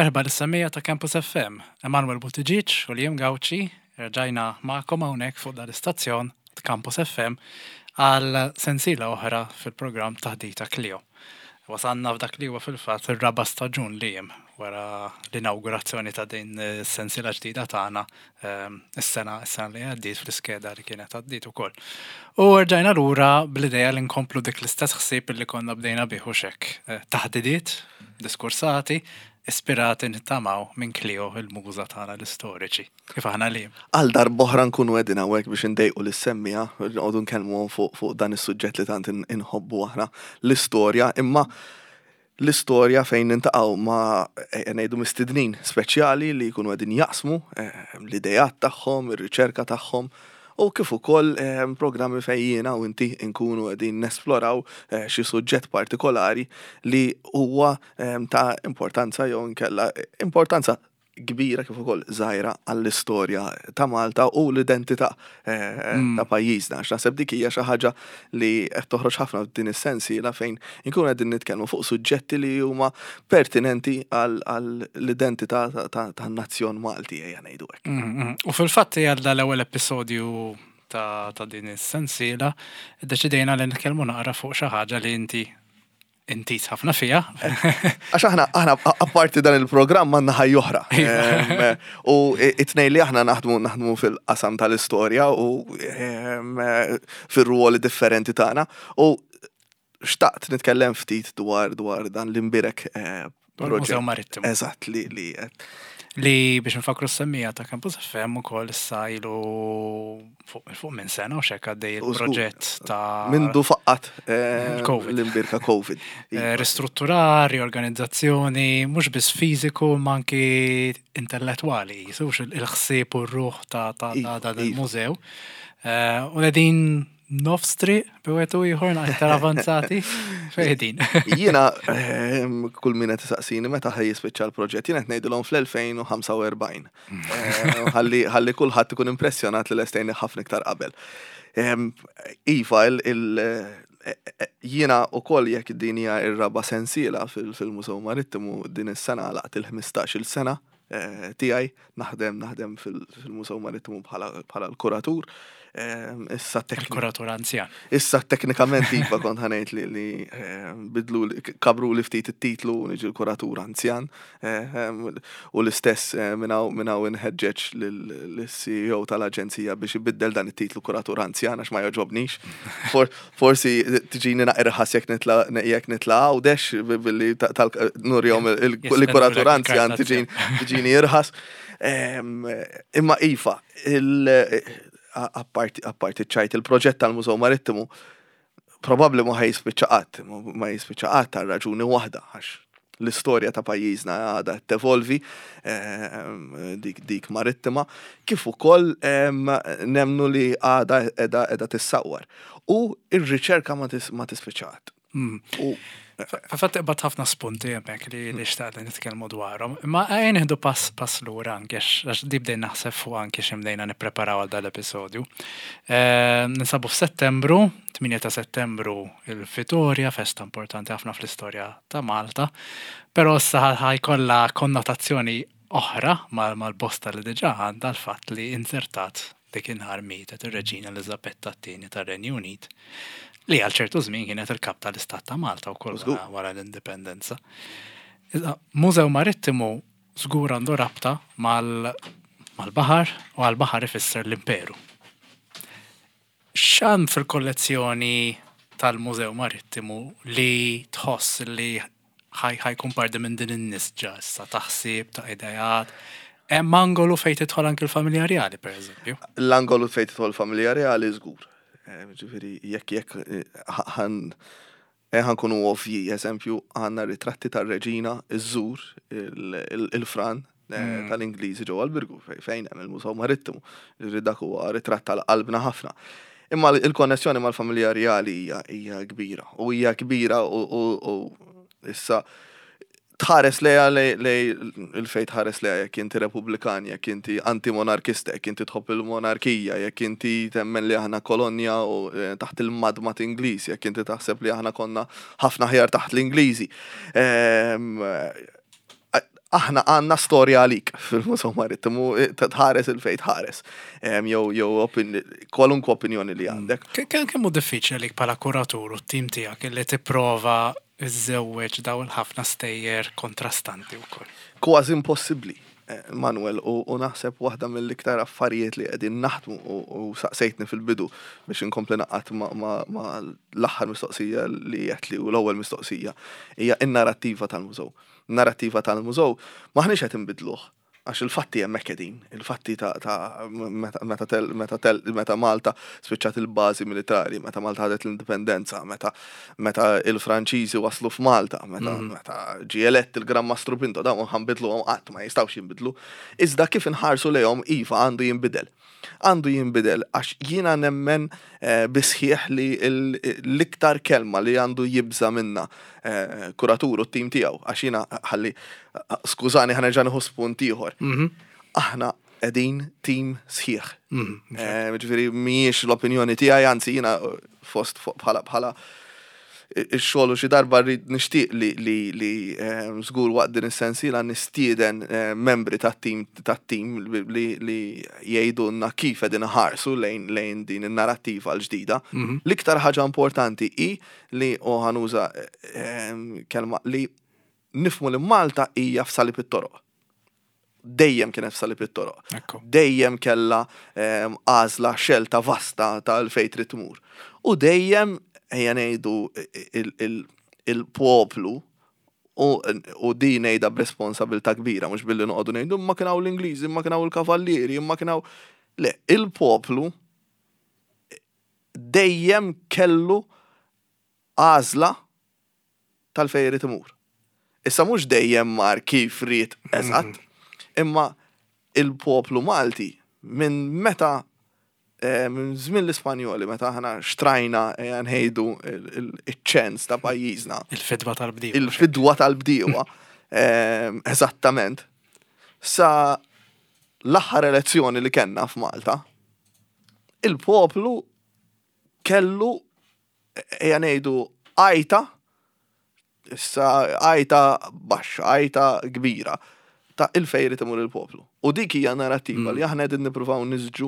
Merħba lis-semmiegħa ta' Campus FM. Emanuel Buttigieg u Liam Gauci rġajna magħkom hawnhekk fuq dan l-istazzjon ta' Campus FM għal sensiela oħra fil-programm Taħdita Clio. Wasalna f'dak li huwa fil-fatt ir-raba' staġun Liam wara l-inawgurazzjoni ta' din is-sensiela ġdida tagħna is-sena is-sena li għaddiet fl-iskeda li kienet għaddiet ukoll. U rġajna lura bl-idea li nkomplu dik l-istess ħsieb li konna bdejna bih u xek. Eh, taħdidiet, diskursati, ispirati nittamaw minn Klio il-muża tagħna l-istoriċi. Kif aħna li. Għal darb'oħra nkunu qegħdin hawnhekk biex indejqu lis-semmiegħa, noqogħdu nkellmuhom fuq fuq dan is-suġġett li tant inħobbu aħna l-istorja, imma l-istorja fejn nintaqgħu ma' ejja ngħidu mistednin speċjali li jkunu qegħdin jaqsmu l-ideat tagħhom, ir-riċerka tagħhom u kif ukoll programmi fejn jiena u inti nkunu qegħdin nesploraw xi suġġett partikolari li huwa ta' importanza jew inkella importanza kbira kif ukoll żgħira għall-istorja ta' Malta u l-identità eh, mm. ta' pajjiżna. Għax naħseb dik hija xi ħaġa li qed toħroġ ħafna f'din is-sensiela fejn inkunu qegħdin nitkellmu fuq suġġetti li huma pertinenti għall-identità tan-nazzjon Malti ejja ngħidu hekk. Mm, mm. U fil-fatt għal l-ewwel episodju ta' din is-sensiela, iddeċidejna li nitkellmu naqra fuq xi ħaġa li inti intiż ħafna fija. Għax aħna, aħna apparti dan il-programm għandna ħajja oħra. U it-tnejn li aħna naħdmu naħdmu fil-qasam tal-istorja u fir-ruoli differenti tagħna. U xtaqt nitkellem ftit dwar dwar dan l-imbirek eh, Dwar Marittimu. Eżatt li li Li biex nfakru s-semmija ta' Campus FM ukoll issa ilu fuq minn sena u xek għaddej il-proġett ta' Mindu faqqat eh, l-imbirka Covid. Eh, ristrutturar, riorganizzazzjoni, mhux biss fiżiku ma anki intellettwali, jisux il-ħsieb u r-ruħ ta' dan il-mużew. Eh, u qegħdin nofs triq bi wieħed u ieħor aktar avanzati fejn din. Jiena ehm, kull min qed isaqsini meta ħaj jispiċċa l-proġett, jiena qed ngħidilhom fl-2045. Ehm, ħalli ħalli kulħadd ikun impressjonat li lestejni ħafna iktar qabel. Ehm, iva, il e, e, jiena ukoll jekk din hija r-raba' sensiela fil-Mużew Marittimu din is-sena laqt il-15-il sena eh, tiegħi naħdem naħdem fil-Mużew Marittimu bħala l-kuratur. Eh, issa Il-kuratur anzjan. Issa teknikament iva kont ħanejt li li eh, bidlu kabru li ftit it-titlu niġi l-kuratur anzjan. U l-istess minnaw inħeġġeġ l-CEO tal-aġenzija biex ibiddel dan it-titlu kuratur anzjan għax ma joġobnix. Forsi tiġini naqra ħas jekk nitla jekk nitla Għawdex billi nurjom il-kuratur anzjan tiġini irħas. Imma iva, apparti ċajt il-proġett tal-Mużew Marittimu probabbli ma ħajspiċċa qatt, ma jispiċċa qatt għal raġuni waħda għax l-istorja ta' pajjiżna għadha tevolvi ehm, dik, dik marittima, kif ukoll ehm, nemnu li għadha edha edha tissawwar. U ir-riċerka ma tispiċċa qatt. Mm. U Fatt iqbad ħafna spunti hemmhekk li li xtaqt li nitkellmu dwarhom. Imma ejja nieħdu pass pass lura anke għax di bdejn naħseb fuq anke xi bdejna nippreparaw għal dal-episodju. Ehm, ninsabu f'Settembru, 8 ta' Settembru il-Vitorja, festa importanti ħafna fl-istorja ta' Malta, però issa ħajkollha konnotazzjoni oħra mal-bosta li diġà għandha l-fatt li inzertat dik in-nhar mietet ir-Reġina Eliżabetta t-Tieni tar-Renju Unit, li għal ċertu żmien kienet il-Kap tal-Istat ta' Malta wkoll wara l-Indipendenza. Mużew Marittimu żgur għandu rabta mal-baħar u għall-baħar ifisser l-imperu. X'hemm fil-kollezzjoni tal-Mużew Marittimu li tħoss li ħa jkun parti minn din in-nisġa issa ta' ħsieb, ta' ideat? Hemm angolu fejn tidħol anki l-familja rjali, pereżempju? L-angolu fejn tidħol l-familja rjali żgur. Ġifieri jekk jekk ħan Eh, ħa nkunu ovvji, eżempju, għandna ritratti tar-reġina iżżur il-fran eh, mm. tal-Ingliżi ġewwa l-Birgu fejn hemm il-Mużew Marittimu. Ġifieri dak huwa ritratt tal-qalbna ħafna. Imma il-konnessjoni mal-familja rjali hija kbira u hija kbira u issa tħares lejha lej il-fejn tħares lejha jekk inti Repubblikan, jekk inti anti-monarkista, jekk inti tħobb il-monarkija, jekk inti temmen li aħna kolonja u eh, taħt il-madmat Ingliż, jekk inti taħseb li aħna konna ħafna ħjar taħt l-Ingliżi. Ehm, Aħna għandna storja għalik fil-Mużew Marittimu, tħares 'il fejn tħares. Jew jew kwalunkwe opinjoni li għandek. Kemm hu diffiċli għalik bħala kuratur u t-tim tiegħek li tipprova żżewweġ dawn il-ħafna stejjer kontrastanti wkoll? Kważi impossibbli, Manuel, u naħseb waħda mill-iktar affarijiet li qegħdin naħdmu u saqsejtni fil-bidu biex inkompli naqgħad ma' l-aħħar mistoqsija li għedtli u l-ewwel mistoqsija hija n-narrattiva tal-mużew. Narrattiva tal-mużew m'aħniex qed inbiddluh għax il-fatti hemmhekk qegħdin, il-fatti ta' ta' meta meta tel meta tel meta Malta spiċċat il-bażi militari, meta Malta ħadet l-indipendenza, meta meta il-Franċiżi waslu f'Malta, meta meta ġie elett il-Gran Mastru Pinto, dawn ma nbidluhom qatt, ma jistgħux jinbidlu. Iżda kif inħarsu lejhom iva għandu jinbidel. Għandu jinbidel għax jiena nemmen bis-sħiħ li l-iktar kelma li għandu jibża' minnha kuratur u t-tim tiegħu, għax jiena ħalli, skużani ħa nerġa' nieħu spunt ieħor. Aħna qegħdin tim sħiħ. Ġifieri mhijiex l-opinjoni tiegħi, anzi jiena fost bħala bħala ix-xogħol u xi darba rrid nixtieq li li li żgur waqt din is-sensiela nistieden membri tat-tim tat-tim li li jgħidulna kif qegħdin iħarsu lejn lejn din in-narrattiva l-ġdida. L-iktar ħaġa importanti hi li u ħa nuża kelma li nifhmu li Malta hija f'salib it-toroq. Dejjem kienet f'salib it-toroq. Dejjem kellha għażla xelta vasta ta' fejn trid tmur. U dejjem ejja ngħidu il-poplu u din ngħidha b'responsabilità kbira mhux billi noqogħdu ngħidu imma kien hawn l-Ingliżi, imma kien hawn il-Kavallieri, imma kien hawn. Le, il-poplu dejjem kellu għażla tal-fejn irid imur. Issa mhux dejjem mar kif ried eżatt, imma il-poplu Malti minn meta minn żmien l-Ispanjoli meta aħna xtrajna ejja ngħidu iċ-ċens ta' pajjiżna. Il-fidwa tal-bdiewa. Il-fidwa tal-bdiewa, eżattament. Sa l-aħħar elezzjoni li kellna f'Malta, il-poplu kellu ejja ngħidu għajta, issa għajta baxxa, għajta kbira ta' il-fejn irid imur il-poplu. U dik hija narrattiva li aħna qegħdin nippruvaw nisġu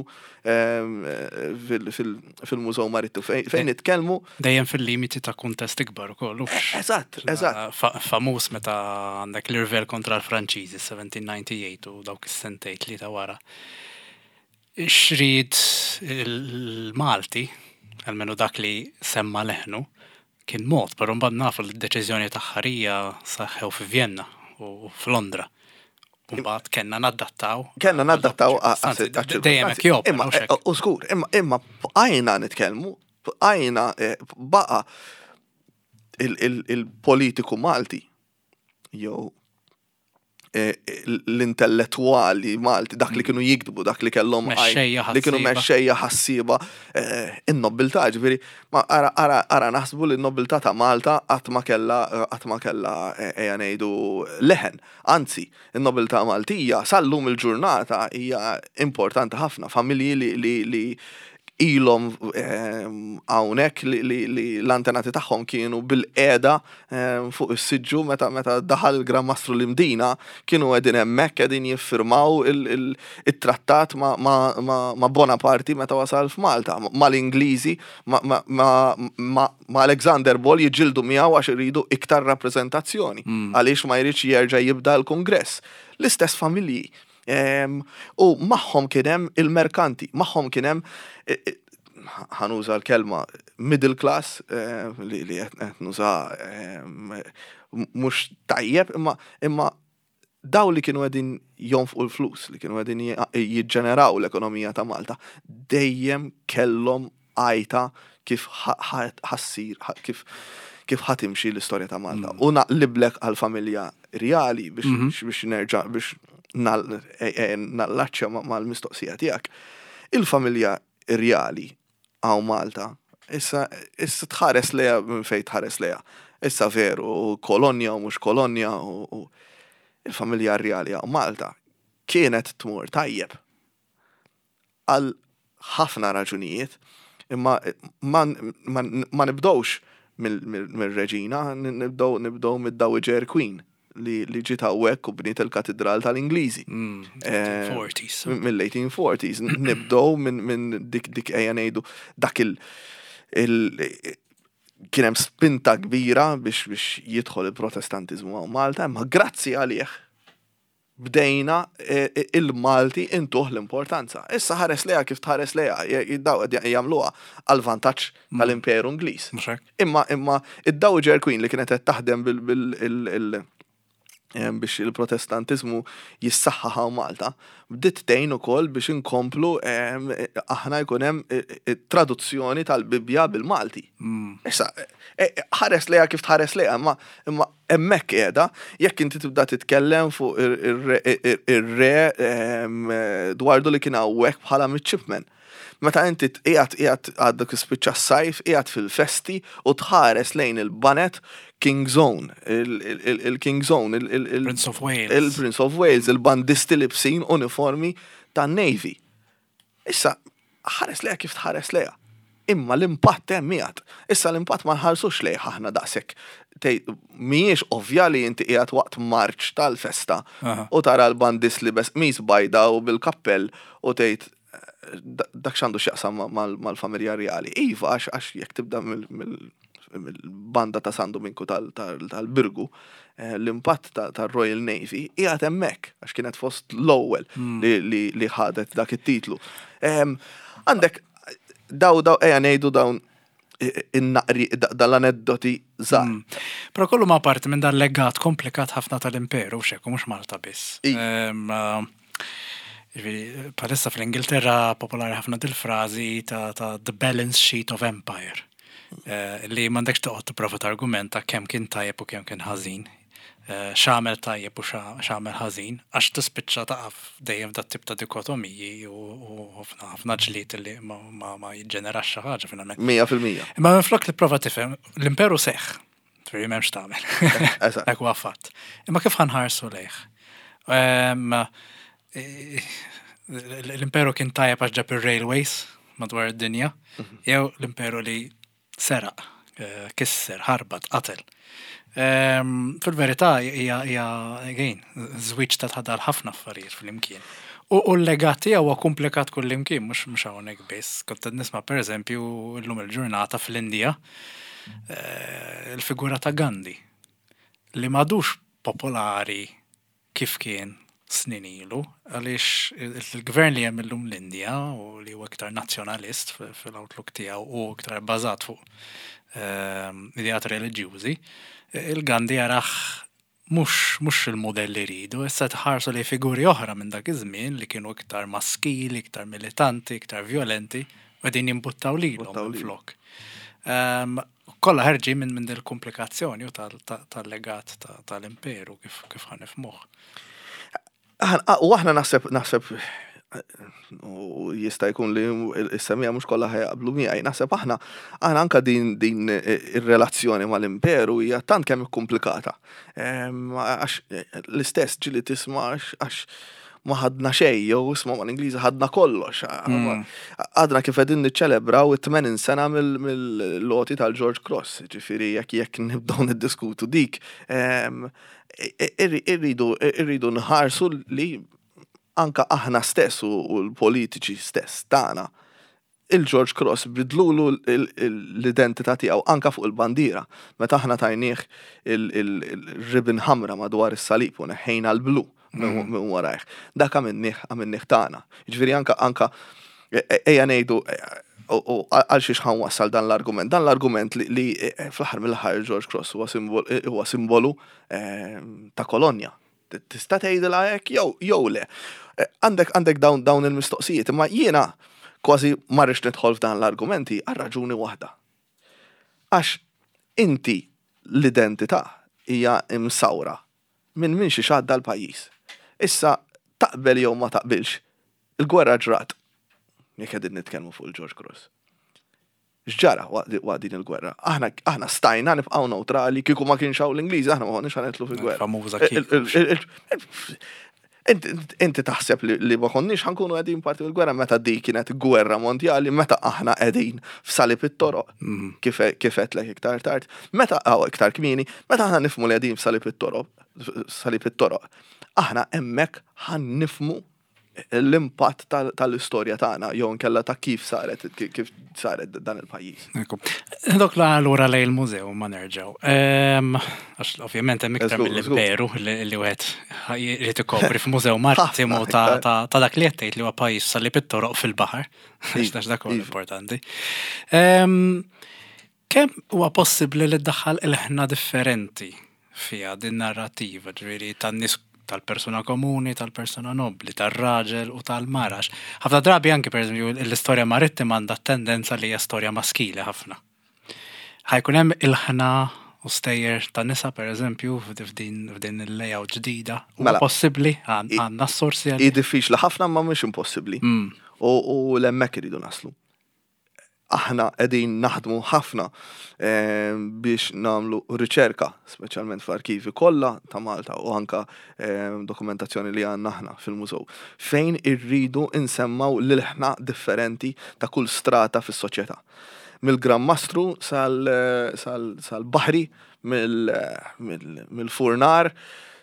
fil-Mużew Marittimu fejn nitkellmu. Dejjem fil-limiti ta' kuntest ikbar ukoll. Eżatt, eżatt. Famuż meta għandek l-irvel kontra l-Franċiżi 1798 u dawk is-sentejn tlieta wara. X'ried il-Malti, almenu dak li semma leħnu, kien mod, però mbagħad nafu li d-deċiżjoni aħħarija saħħew fi Vienna u f'Londra. U mbagħad kellna nadattaw. Kellna nadattaw dejjem hekk jopera, Imma, mhux hekk. u żgur, imma imma bqajna nitkellmu, bqajna baqa' il-politiku Malti jew l-intellettwali Malti, dak li kienu jiktbu, dak li kellhom Mexxejja li kienu ħassieba. mexxejja ħassieba, in-nobiltà, ġifieri, ma ara ara ara naħsbu li n-nobiltà ta' Malta qatt ma kellha qatt ma kellha ejja ngħidu leħen. Anzi, in-nobiltà Maltija sal-lum il-ġurnata hija importanti ħafna, familji li li li ilhom hawnhekk li li l-antenati tagħhom kienu bil-qiegħda fuq is-siġġu meta meta daħal il-Gran Mastru l-Imdina kienu qegħdin hemmhekk qegħdin jiffirmaw it-trattat ma' Bonaparte meta wasal f'Malta, mal-Ingliżi, ma' Alexander Ball jiġġieldu miegħu għax iridu iktar rappreżentazzjoni għaliex ma jridx jerġa' jibda l-Kungress. L-istess familji. U magħhom kien hemm il-merkanti, magħhom kien hemm ħa nuża l-kelma middle class li li qed nuża mhux tajjeb, imma imma daw li kienu qegħdin jonfqu l-flus, li kienu qegħdin jiġġeneraw l-ekonomija ta' Malta, dejjem kellhom għajta kif ħa ssir, kif kif ħa timxi l-istorja ta' Malta. U naqliblek għal-familja reali biex biex nerġa' biex nallaċċja mal-mistoqsija tiegħek. Il-familja reali hawn Malta, issa issa tħares lejha minn fejn tħares lejha. Issa veru, kolonja u mhux kolonja u il-familja reali hawn Malta kienet tmur tajjeb għal ħafna raġunijiet, imma ma, ma, ma nibdowx mill-reġina, nibdow nibdow mid-Dowager Queen. li, li ġiet hawnhekk u bniet il-Katidral tal-Ingliżi. 1840s. Mm, mill-1840s. Nibdow minn min dik dik ejja ngħidu dak il, il kien hemm spinta kbira biex biex jidħol il-Protestantiżmu hawn Malta, imma grazzi għalih bdejna il-Malti intuh l-importanza. Issa ħares lejha kif tħares lejha, daw qed jagħmluha għal vantaġġ tal-Imperu Ingliż. Imma imma id-Dowager Queen li kienet qed taħdem bil biex il-Protestantiżmu jissaħħaħ hawn Malta, bdiet tgħin ukoll biex inkomplu aħna jkun hemm traduzzjoni tal-Bibbja bil-Malti. Issa, ħares lejha kif tħares lejha, imma imma Hemmhekk qiegħda, jekk inti tibda titkellem fuq ir-re Dwardu li kien hawnhekk bħala midshipman. Meta inti qiegħed qiegħed għadek ispiċċa s-sajf, qiegħed fil-festi u tħares lejn il-banet King's Own, il-King's Own, il-Prince of Wales. Il-Prince of Wales, il-bandisti libsin uniformi tan-Navy. Issa, ħares lejha kif tħares lejha. Imma l-impatt hemm qiegħed. Issa l-impatt ma nħarsux lejh aħna daqshekk. Mhijiex ovvja li inti qiegħed waqt marċ tal-festa u tara l-bandist libes qmis bajda u bil-kappell u tgħid dak x'għandu x'jaqsam mal-familja rjali. Iva, għax jekk tibda mill-banda ta' San Duminku tal-Birgu, eh, l-impatt tal-Royal Navy qiegħed hemmhekk għax kienet fost l-ewwel hmm. li ħadet dak it-titlu. Għandek daw daw ejja ngħidu dawn in-naqri dal-aneddoti żgħar. Hmm. Però kollu ma parti minn dal-legat komplikat ħafna tal-imperu xekk mhux Malta biss. Jiġifieri, bħalissa fl-Ingilterra popolari ħafna dil-frażi ta', ta the balance sheet of empire. Eh, li m'għandekx toqgħod tipprova targumenta kemm kien tajjeb u kemm kien ħażin. Eh, x'għamel tajjeb u x'għamel ħażin, għax tispiċċa taqaf dejjem dat tip ta' dikotomiji u ħafna ħafna ġlied li ma, ma, ma jiġġenerax xi ħaġa finalment. 100%. Imma minflok li prova tifhem, l-imperu seħħ. Ġifieri m'hemmx tagħmel. Dak huwa fatt. Imma kif ħanħarsu lejh? Ehm, l-imperu kien tajjeb għax ġab ir-railways madwar id-dinja, mhm. jew l-imperu li seraq, eh, kisser, ħarbat, qatel. Ehm, fil-verità hija again, żwieġ ta' tħadal ħafna affarijiet fl-imkien. U l-legat tiegħu huwa komplikat kullimkien, mhux mhux hawnhekk biss. Kont qed nisma' pereżempju llum il-ġurnata fl-Indja eh, il-figura ta' Gandhi li m'għadux popolari kif kien snin ilu, għaliex il-gvern li hemm illum l-Indja u li huwa iktar nazzjonalist fil-outlook tiegħu u iktar bbażat fuq ehm, ideat reliġjużi, il-Gandhi jarah mhux mhux il-mudell li jridu, issa tħarsu lejn figuri oħra minn dak iż-żmien li kienu iktar maskili, iktar militanti, iktar vjolenti, u qegħdin jimbuttaw lilhom minflok. Ehm, kollha ħerġin minn minn dil-komplikazzjoni u tal-legat tal-imperu kif kif ħa nifhmuh. U aħna naħseb naħseb u jista' jkun li s-semija mhux kollha ħajaqblu miegħi. Naħseb aħna aħna anka din din ir-relazzjoni mal-imperu hija tant kemm ikkumplikata. Ehm, għax l-istess ġili tisma' għax ma ħadna xejn jew isma' mal-Ingliżi ħadna kollox. Mm. Għadna kif qegħdin niċċelebraw it-80 sena mill-loti tal-George Cross, ġifieri jekk jekk nibdew niddiskutu dik. Ehm, irridu irridu nħarsu li anka aħna stess u l-politiċi stess tagħna il-George Cross bidlulu l-identità tiegħu anka fuq il-bandiera. Meta aħna tajnieh il-ribbon ħamra madwar is-salib u neħħejna l-blu mm. minn warajh. Dak għamilnieh għamilnieh tagħna. Jiġifieri anka anka e, e, ejja ngħidu e, u għal xiex ħan wassal dan l-argument. Dan l-argument li fl-aħħar mill-aħħar George Cross huwa simbolu ta' kolonja. Tista' tgħidilha hekk jew jew le. Eh, għandek għandek dawn dawn il-mistoqsijiet, imma jiena kważi ma rridx nidħol f'dan l-argumenti għal raġuni waħda. Għax inti l-identità hija imsawra minn minn xi għadda l-pajjiż. Issa taqbel jew ma taqbilx, il-gwerra ġrat. Jekk qegħdin nitkellmu fuq il-George Cross. X'ġara waqt din il-gwerra? Aħna aħna stajna nibqgħu neutrali kieku ma kienx hawn l-Ingliżi, aħna ma konniex ħa nidħlu fil-gwerra. Famuża kieku. Inti taħseb li ma konniex ħa nkunu qegħdin parti mill-gwerra meta di kienet gwerra mondjali, meta aħna qegħdin f'salib it-toroq, kif għedtlek iktar tard, meta iktar kmieni, meta aħna nifhmu li qegħdin f'salib it-toroq, salib it-toroq, aħna hemmhekk ħa nifhmu l-impatt tal-istorja tagħna jew inkella ta' kif saret kif saret dan il-pajjiż. Dok la lura lejn il-mużew ma nerġgħu. Għax ovvjament hemm iktar mill-imperu li wieħed jrid ikopri f'mużew marittimu ta' dak li qed tgħid li huwa pajjiż salib it-toroq fil-baħar. Għax dak huwa importanti. Kemm huwa possibbli li ddaħħal ilħna differenti fiha din narrattiva, ġifieri tan-nies tal-persuna komuni, tal-persuna nobbli, tar-raġel u tal-mara? Għax ħafna drabi anki pereżempju l-istorja marittima għandha t-tendenza li hija storja maskili ħafna. Ħa jkun hemm ilħna u stejjer ta' nisa pereżempju f'din il-layout ġdida? Huwa mela, possibbli? Għandna s-sorsi Hi diffiċli ħafna ma mhux impossibbli. U l-hemmhekk iridu naslu. Aħna qegħdin naħdmu ħafna eh, biex nagħmlu riċerka, speċjalment fl-arkivi kollha ta' Malta u anka eh, dokumentazzjoni li għandna aħna fil-mużew, fejn irridu nsemmaw l-ilħna differenti ta' kull strata fis-soċjetà. Mill-Gran Mastru sal-baħri, mill-furnar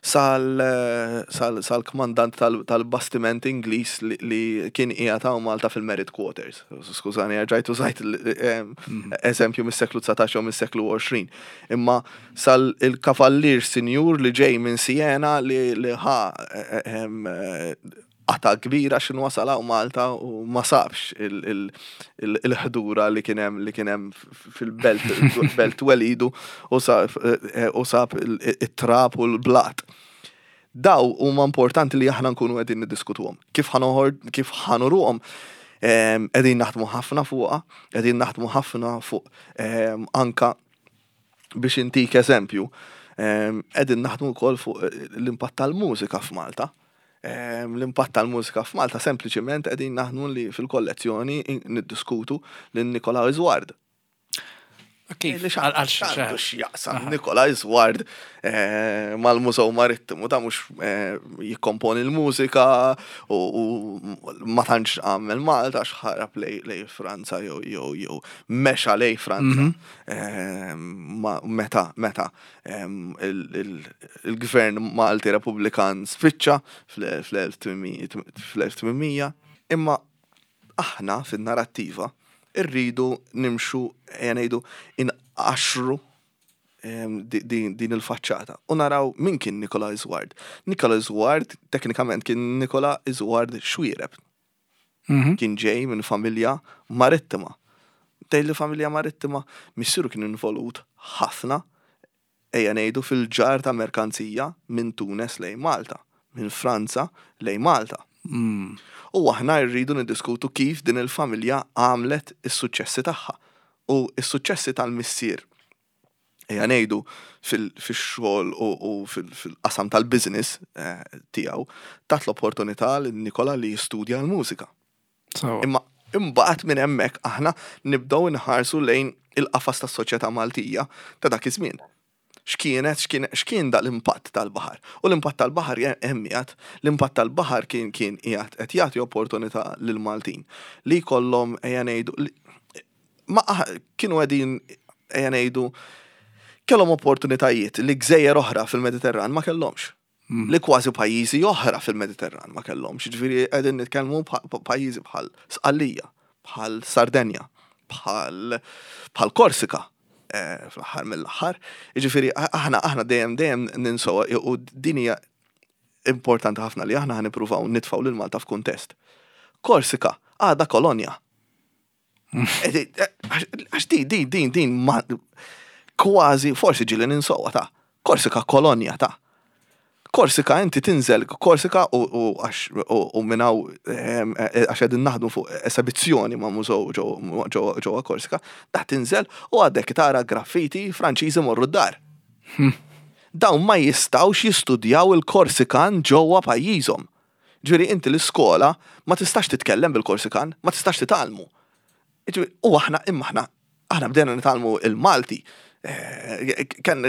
sal-kmandant tal-bastiment Ingliż li kien qiegħed hawn Malta fil-Merit Quarters. Skużani, rġajt użajt eżempju mis-seklu 19 jew mis-seklu 20. Imma sal-kavallier sinjur li ġej minn Siena li ħa qatgħa kbira x'inhu wasal hawn Malta u ma sabx il-ħdura li kien hemm li kien hemm fil-belt belt twelidu u sab it-trab u l-blat. Daw huma importanti li aħna nkunu qegħdin niddiskutuhom. Kif ħanoħor kif ħanuruhom qegħdin naħdmu ħafna fuqha, qegħdin naħdmu ħafna fuq anka biex intik eżempju, qegħdin naħdmu wkoll fuq l-impatt tal-mużika f'Malta. L-impatt tal-mużika f'Malta sempliċiment qegħdin naħdmu li fil-kollezzjoni niddiskutu lil Nikola Isward. Kif? Għal x'jaqsam Nikola Isward eh, mal-Mużew Marittimu ta' mhux eh, jikkomponi l-mużika u ma tantx għamel Malta x'ħarab lej Franza jew jew jew mexa lej Franza. Mhm. Meta meta il-gvern Malti Repubblikan spiċċa fl-1800, imma aħna fin-narrattiva rridu nimxu ejja ngħidu inqaxxru din il-faċċata u naraw min kien Nikola Isward. Nikola Isward teknikament kien Nikola Isward Xuereb. Mhm. Kien ġej minn familja marittima. Tgħid li familja marittima, missieru kien involut ħafna ejja ngħidu fil-ġarr ta' merkanzija minn Tunes lejn Malta, minn Franza lejn Malta. Mm. U aħna rridu niddiskutu kif din il-familja għamlet is-suċċessi tagħha u s-suċċessi tal-missier ejja ngħidu fix-xogħol u fil-qasam tal-business eh, tiegħu tat l-opportunità lil Nikola li jistudja l-mużika. Imma imbagħad minn hemmhekk aħna nibdew inħarsu lejn il-qafas tas-soċjetà Maltija ta' dak iż-żmien. X'kienet, x'kien da l-impatt tal-baħar? U l-impatt tal-baħar hemm qiegħed, l-impatt tal-baħar kien kien qiegħed qed jagħti opportunità lill-Maltin li jkollhom ejja ngħidu ma kienu qegħdin ejja ngħidu kellhom opportunitajiet li gżejjer oħra fil-Mediterran ma kellhomx. Mm. Li kważi pajjiżi oħra fil-Mediterran ma kellhomx. Ġifieri qegħdin nitkellmu pajjiżi bħal Sqallija, bħal Sardenja, bħal bħal Korsika eh, fl-aħħar mill-aħħar. Ġifieri aħna aħna dejjem dejjem ninsew u din hija importanti ħafna li aħna ħanippruvaw nitfgħu lil Malta f'kuntest. Korsika għadha kolonja. Għax din, din, din, din, ma kważi, forsi ġili ninsowa ta' Korsika kolonja ta' Korsika inti tinżel Korsika u għax u minnaw ehm, e, għax qegħdin naħdmu fuq esebizzjoni ma' mużew ġewwa Korsika, da tinżel u għadek tara graffiti Franċiżi morru d-dar. Hmm. Dawn ma jistgħux jistudjaw il-Korsikan ġewwa pajjiżhom. Ġifieri inti l-iskola ma tistax titkellem bil-Korsikan, ma tistax titgħallmu. Ġifieri u aħna imma aħna aħna bdejna nitgħallmu il-Malti eh, kien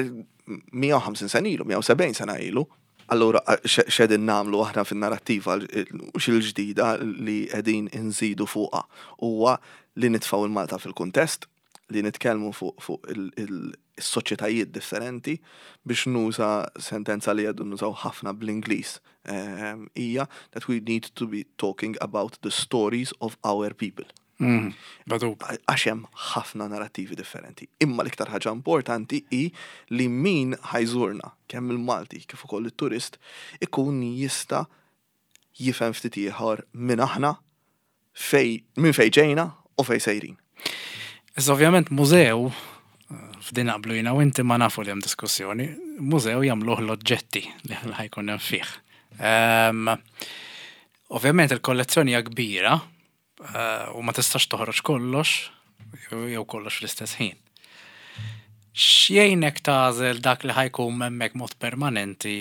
150 sena ilu, 170 sena ilu. Allura x'qegħdin nagħmlu aħna fin-narrattiva x'il-ġdida li qegħdin inżidu fuqha huwa li nitfgħu il-Malta fil-kuntest, li nitkellmu fuq is-soċjetajiet differenti biex nuża sentenza li qegħdu nużaw ħafna bl-Ingliż hija that we need to be talking about the stories of our people. Għax hemm ħafna narrattivi differenti. Imma l-iktar ħaġa importanti hi li min ħa jżurna, kemm il-Malti kif ukoll it-turist, ikun jista' jifhem ftit ieħor minn aħna, fej, minn fej ġejna u fej sejrin. Issa ovvjament mużew, f'din naqblu jiena u inti ma nafu li hemm diskussjoni, mużew jagħmluh l-oġġetti li ħa jkun hemm fih. Ovvjament il-kollezzjoni hija kbira u ma tistax toħroġ kollox jew kollox fl-istess ħin. X'jgħinek tagħżel dak li ħa jkun hemmhekk mod permanenti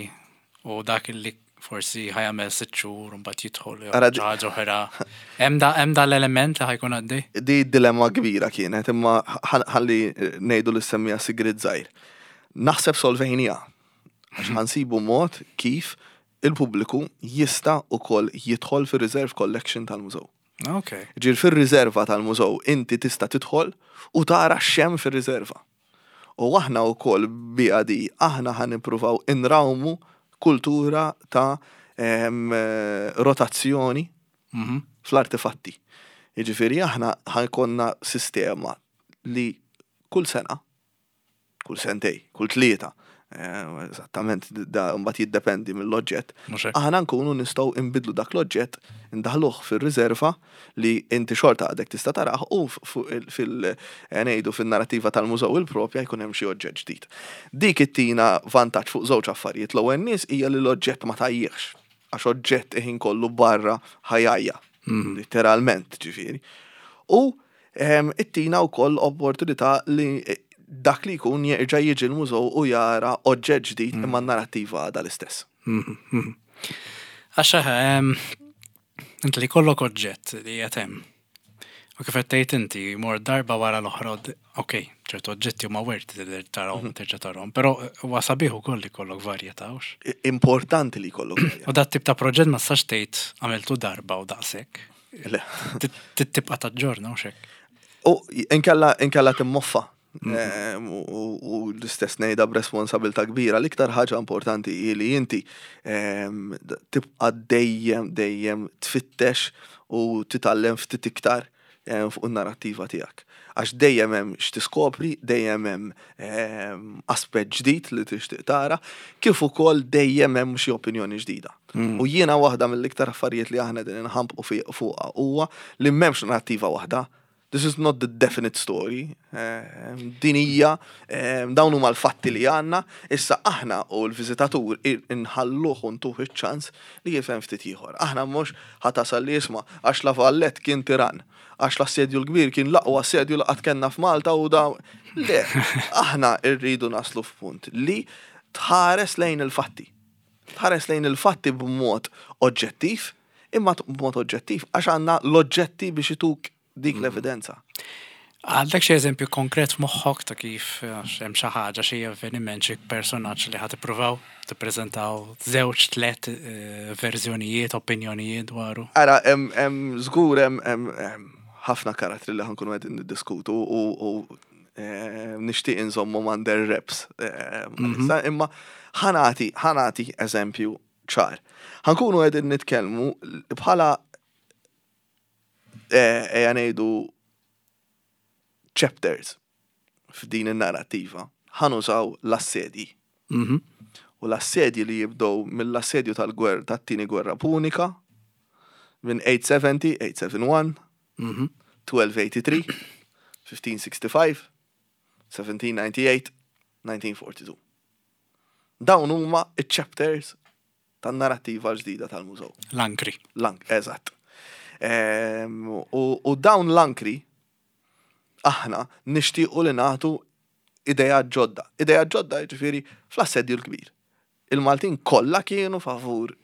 u dak li forsi ħa jagħmel 6 xhur u mbagħad jidħol jew xi ħaġa oħra? Hemm da hemm da l-element li ħa jkun għaddej? Di dilemma kbira kienet, imma ħalli ngħidu li semmija sigriet żgħir. Naħseb solvejnieha. Għax ħa nsibu mod kif il-pubbliku jista' ukoll jidħol fir-reserve collection tal-mużew. Ġifieri fir-riserva tal-mużew inti tista' tidħol u tara x'hemm fir-riserva. U aħna wkoll biha di, aħna ħa nippruvaw inrawmu kultura ta' rotazzjoni fl-artefatti. Jiġifieri aħna ħa jkollna sistema li kull sena, kull sentej, kull 3, eżattament da mbagħad jiddependi mill-oġġett, Mhux hekk. aħna nkunu nistgħu nbidlu dak l-oġġett, indaħluh fir-riserva li inti xorta għadek tista' tarah u fil ngħidu fin-narrativa tal-mużew il-propja jkun hemm xi oġġett ġdid. Dik ittina vantaġġ fuq żewġ affarijiet. L-ewwel nies hija li l-oġġett ma tajjiex, għax oġġett iħin kollu barra ħa jgħajja, literalment ġifieri. U ittina wkoll opportunità li dak li jkun jerġa' jiġi l-mużew u jara oġġett ġdid imma n-narrattiva għadha l-istess. Għax inti li kollok oġġett li qed hemm. U kif qed tgħid inti mor darba wara l-oħra, ok, ċertu oġġetti huma worth li tarahom terġa' tarahom, però huwa sabiħ ukoll li jkollok varjetà, hux? Importanti li jkollok varjetà. U dat tip ta' proġett ma tistax tgħid għamiltu darba u daqshekk. Le. Tibqa' taġġorna u xek. U inkella timmoffa. U l-istess ngħidha b'responsabilità kbira. L-iktar ħaġa importanti hi li inti tibqa' dejjem dejjem tfittex u titgħallem ftit iktar fuq in-narrattiva tiegħek. Għax dejjem hemm x'tiskopri, dejjem hemm aspett ġdid li tixtieq tara, kif ukoll dejjem hemm xi opinjoni ġdida. U jiena waħda mill-iktar affarijiet li aħna din inħampqu fuqha huwa li m'hemmx narrattiva waħda. This is not the definite story. Din hija dawn huma l-fatti li għandna, issa aħna u l-viżitatur inħalluh u ntuh iċ-ċans li jifhem ftit ieħor. Aħna mhux ħa tasal li jisma' għax La Valette kien tiran, għax l-assedju l-kbir kien l-aqwa assedju li qatt kellna f'Malta u da. Le, aħna rridu naslu f'punt li tħares lejn il-fatti. Tħares lejn il-fatti b'mod oġġettiv, imma b'mod oġġettiv għax għandna l-oġġetti biex ituk dik l-evidenza. Għandek xi eżempju konkret f'moħħok ta' kif għax hemm xi ħaġa, xi avveniment, xi personaġġ li ħa tippruvaw tippreżentaw żewġ tliet verżjonijiet, opinjonijiet dwaru? Ara, hemm żgur hemm ħafna karattri li ħa nkunu qegħdin niddiskutu u nixtieq inżommhom under wraps. Issa, imma ħa nagħti eżempju ċar. Ħa nkunu qegħdin nitkellmu bħala ejja ngħidu chapters f'din in-narrattiva ħa nużaw l-assedji. U l-assedji li jibdew mill-assedju tal-gwerra tat-tieni gwerra punika minn 870, 871, 1283, 1565, 1798, 1942. Dawn huma iċ-chapters tan-narrattiva ġdida tal-mużew. L-ankri. L-ank, eżatt. U dawn l-ankri aħna nixtiequ li nagħtu idea ġodda. Idea ġodda ġifieri fl-assedju l-kbir. Il-Maltin kollha kienu favur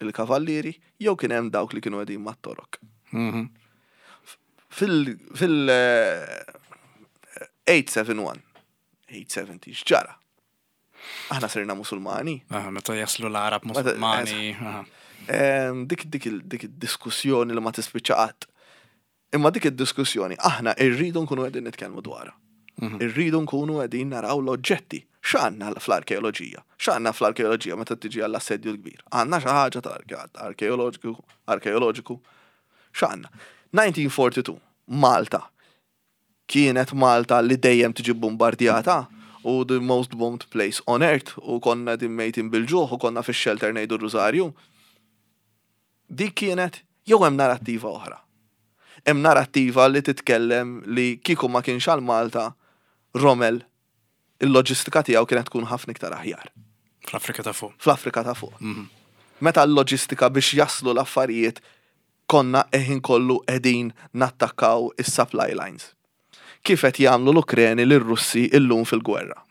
il-kavallieri jew kien hemm dawk li kienu qegħdin mat-Torok. Fil 871, 870 x'ġara? Aħna sirna Musulmani. Meta jaslu l-Arab Musulmani. Dik dik dik id-diskussjoni li ma tispiċċa qatt. Imma dik id-diskussjoni aħna rridu nkunu qegħdin nitkellmu dwarha. Mhm. Irridu nkunu qegħdin naraw l-oġġetti. X'għandna fl-arkeoloġija? X'għandna fl-arkeoloġija meta tiġi għall-assedju l-kbir? Għandna xi ħaġa tal-arkeoloġiku, arkeoloġiku. X'għandna? 1942, Malta. Kienet Malta li dejjem tiġi bombardjata u the most bombed place on earth u konna din mejtin bil-ġuħ u konna fix-shelter ngħidu r-rużarju. Dik kienet jew hemm narrattiva oħra. Hemm narrattiva li titkellem li kieku ma kienx għal Malta, Rommel il-loġistika tiegħu kienet tkun ħafna iktar aħjar. Fl-Afrika ta' fuq. Fl-Afrika ta' fuq. Mhm. Meta l-loġistika biex jaslu l-affarijiet konna eħin kollu qegħdin nattakkaw is-supply lines. Kif qed jagħmlu l-Ukreni lir-Russi illum fil-gwerra.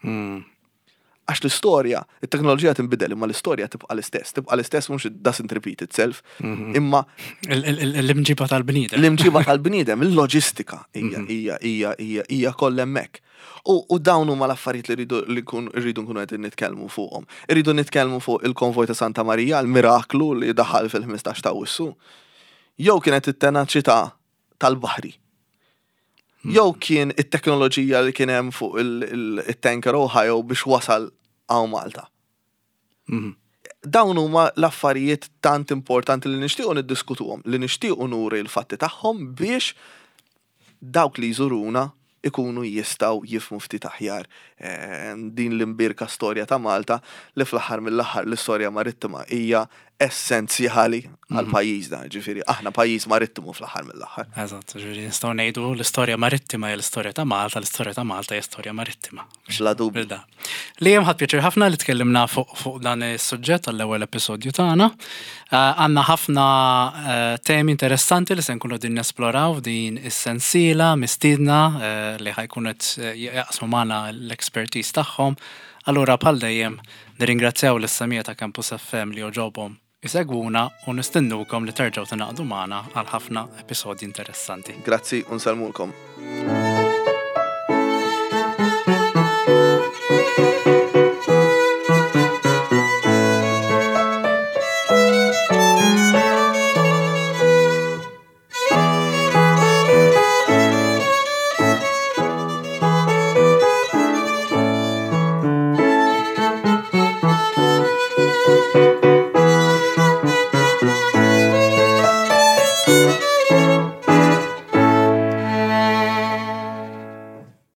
Għax l-istorja, it-teknoloġija tinbidel imma l-istorja tibqa' l-istess. Tibqa' l-istess mhux it doesn't repeat itself, mhm. imma l-imġiba tal-bniedem. L-imġiba tal-bniedem, il-loġistika hija mhm. hija hija hija hija kollha hemmhekk. U dawn huma l-affarijiet li rridu li rridu nkunu qegħdin nitkellmu fuqhom. Irridu nitkellmu fuq il-konvoj ta' Santa Marija, l-miraklu li daħal fil-15 ta' Awwissu. Jew kienet it-tenaċità tal-baħri. Jew kien it-teknoloġija li kien hemm fuq il-tanker Ohio biex wasal hawn Malta. Mhm. Dawn huma l-affarijiet tant importanti li nixtiequ niddiskutuhom, li nixtiequ nuri l-fatti tagħhom biex dawk li jżuruna ikunu jistgħu jifhmu ftit aħjar eh, din l-imbierka storja ta' Malta li fl-aħħar mill-aħħar l-istorja marittima hija essenzjali għal mhm. pajjiżna, ġifieri aħna pajjiż marittimu fl-aħħar mill-aħħar. Eżatt, ġifieri nistgħu ngħidu l-istorja marittima hija l-istorja ta' Malta, l-istorja ta' Malta hija storja marittima. Bla dubju. Li hemm ħadd pjaċir ħafna li tkellimna fuq fuq dan is-suġġett għall-ewwel episodju tagħna. Eh, għandna ħafna eh, temi interessanti li se nkunu din nesploraw din is-sensiela mistiedna eh, li ħajkun qed jaqsmu magħna l-expertise tagħhom. Allura bħal dejjem Nirringrazzjaw lis-semmiegħa ta' Campus FM li għoġobhom isegwuna u nistennukom li terġgħu tingħaqdu magħna għal ħafna episodji interessanti. Grazzi u nsellmulkom.